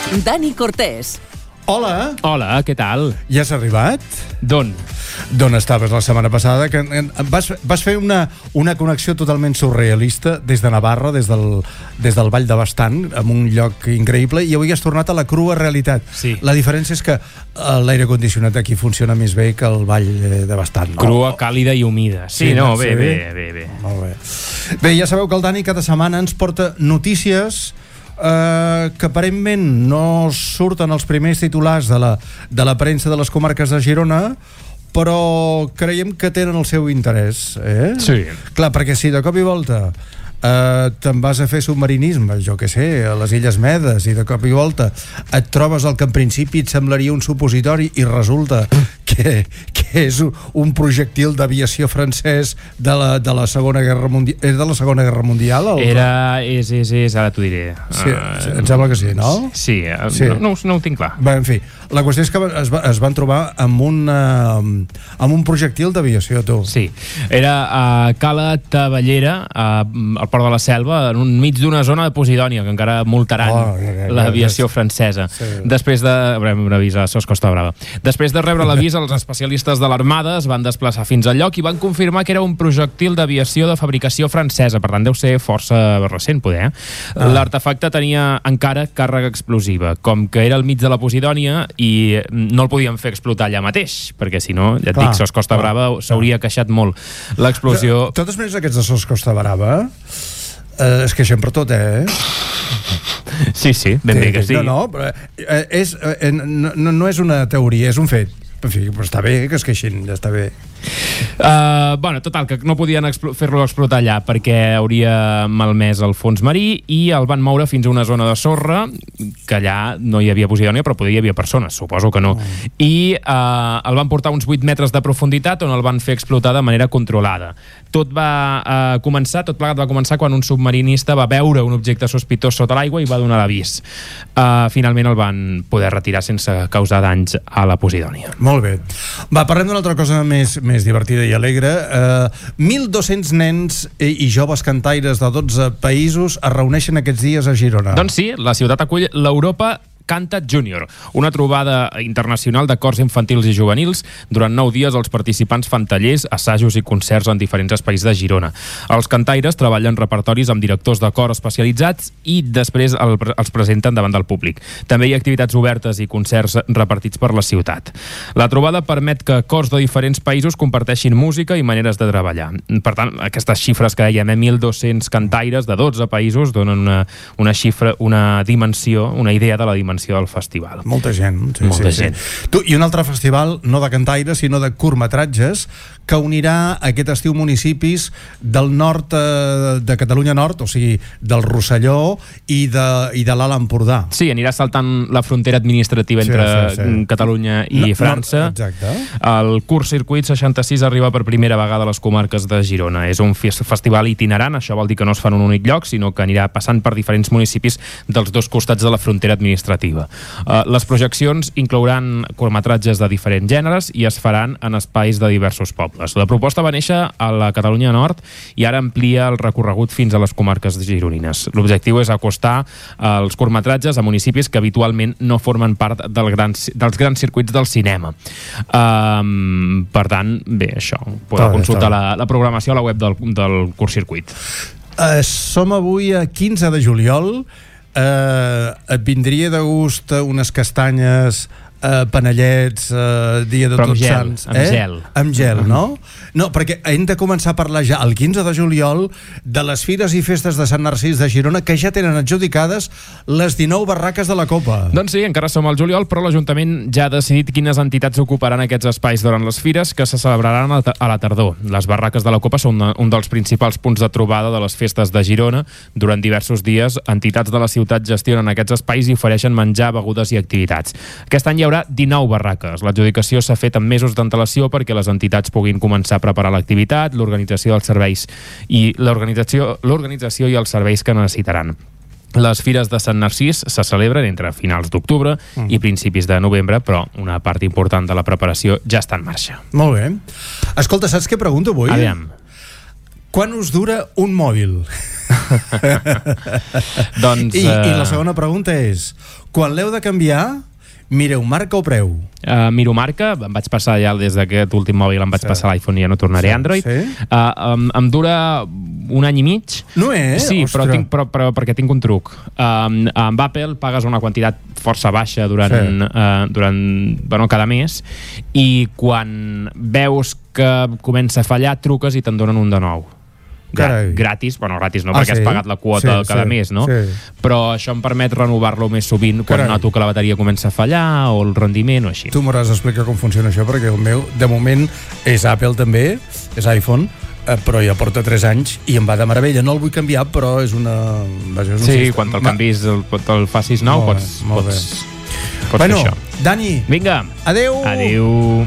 Dani Cortés. Hola. Hola, què tal? Ja has arribat? D'on? D'on estaves la setmana passada? Que vas fer una connexió totalment surrealista des de Navarra, des del Vall de Bastant, en un lloc increïble, i avui has tornat a la crua realitat. Sí. La diferència és que l'aire condicionat aquí funciona més bé que el Vall de Bastant. Crua, càlida i humida. Sí, no, bé. Molt bé. Bé, ja sabeu que el Dani cada setmana ens porta notícies que aparentment no surten els primers titulars de la premsa de les comarques de Girona, però creiem que tenen el seu interès, Sí. Clar, perquè si de cop i volta te'n vas a fer submarinisme, jo què sé, a les Illes Medes, i de cop i volta et trobes el que en principi et semblaria un supositori i resulta que és un projectil d'aviació francès de la Segona Guerra Mundial. És de la Segona Guerra Mundial? És, ara t'ho diré. Sí, em sembla que sí, no? Sí. No ho tinc clar. Bé, en fi, la qüestió és que es van trobar amb un projectil d'aviació, tu. Sí, era a Cala Tavellera, al Port de la Selva, enmig d'una zona de Posidònia, que encara multaran l'aviació francesa. Sí. Després de... Haurem d'avís a SOS Costa Brava. Després de rebre l'avís, els especialistes de l'Armada es van desplaçar fins al lloc i van confirmar que era un projectil d'aviació de fabricació francesa, per tant deu ser força recent, poder. L'artefacte tenia encara càrrega explosiva, com que era al mig de la Posidònia i no el podien fer explotar allà mateix, perquè si no, ja et dic, SOS Costa Brava s'hauria queixat molt. L'explosió... De totes maneres, aquests de SOS Costa Brava es queixen per tot, Sí, ben bé que sí. No, però no és una teoria, és un fet. En fi, però està bé que es queixin, ja està bé. Total, que no podien fer-lo explotar allà perquè hauria malmès el fons marí i el van moure fins a una zona de sorra, que allà no hi havia Posidònia, però poder hi havia persones, suposo que no. I el van portar a uns 8 metres de profunditat, on el van fer explotar de manera controlada. Tot plegat va començar quan un submarinista va veure un objecte sospitós sota l'aigua i va donar l'avís. Finalment el van poder retirar sense causar danys a la Posidònia. Molt bé. Va, parlem d'una altra cosa més divertida i alegre. 1.200 nens i joves cantaires de 12 països es reuneixen aquests dies a Girona. Doncs sí, la ciutat acull l'Europa Canta Junior, una trobada internacional de cors infantils i juvenils. Durant 9 dies els participants fan tallers, assajos i concerts en diferents espais de Girona. Els cantaires treballen repertoris amb directors de cor especialitzats i després els presenten davant del públic. També hi ha activitats obertes i concerts repartits per la ciutat. La trobada permet que cors de diferents països comparteixin música i maneres de treballar. Per tant, aquestes xifres que dèiem, 1.200 cantaires de 12 països donen una xifra, una dimensió, una idea de la dimensió del festival. Molta gent. Molta gent. I un altre festival, no de cantaires, sinó de curtmetratges, que unirà aquest estiu municipis del nord de Catalunya Nord, o sigui, del Rosselló i de l'Alt Empordà. Sí, anirà saltant la frontera administrativa entre Catalunya i França. Exacte. El Curt Circuit 66 arriba per primera vegada a les comarques de Girona. És un festival itinerant, això vol dir que no es fa en un únic lloc, sinó que anirà passant per diferents municipis dels dos costats de la frontera administrativa. Les projeccions inclouran curtmetratges de diferents gèneres i es faran en espais de diversos pobles. La proposta va néixer a la Catalunya Nord i ara amplia el recorregut fins a les comarques gironines. L'objectiu és acostar els curtmetratges a municipis que habitualment no formen part dels grans circuits del cinema. Per tant, bé, això. Podeu consultar la programació a la web del Curt Circuit. Som avui a 15 de juliol. Et vindria de gust unes castanyes, panellets, dia de Tots Sants, amb gel, no? No, perquè hem de començar a parlar ja el 15 de juliol de les fires i festes de Sant Narcís de Girona, que ja tenen adjudicades les 19 barraques de la Copa. Doncs sí, encara som al juliol, però l'Ajuntament ja ha decidit quines entitats ocuparan aquests espais durant les fires, que se celebraran a la tardor. Les barraques de la Copa són un dels principals punts de trobada de les festes de Girona. Durant diversos dies, entitats de la ciutat gestionen aquests espais i ofereixen menjar, begudes i activitats. Aquest any hi haurà 19 barraques. L'adjudicació s'ha fet amb mesos d'antelació perquè les entitats puguin començar a preparar l'activitat, l'organització dels serveis i l'organització i els serveis que necessitaran. Les fires de Sant Narcís se celebren entre finals d'octubre i principis de novembre, però una part important de la preparació ja està en marxa. Molt bé. Escolta, saps què pregunto avui? Aviam. Quan us dura un mòbil? Doncs, I la segona pregunta és, quan l'heu de canviar, mireu marca o preu? Miro marca, em vaig passar ja des d'aquest últim mòbil, em vaig passar l'iPhone i ja no tornaré a Android. Em dura 1 any i mig. No és? Sí, però perquè tinc un truc. Amb Apple pagues una quantitat força baixa durant cada mes, i quan veus que comença a fallar, truques i te'n donen un de nou. Gratis, gratis no, perquè has pagat la quota cada mes, no? Però això em permet renovar-lo més sovint quan noto que la bateria comença a fallar o el rendiment o així. Tu m'hauràs d'explicar com funciona això, perquè el meu, de moment, és Apple també, és iPhone, però ja porta 3 anys i em va de meravella. No el vull canviar, però és una... Sí, quan te'l canvis, te'l facis nou, pots fer això. Dani, vinga, adeu! Adeu.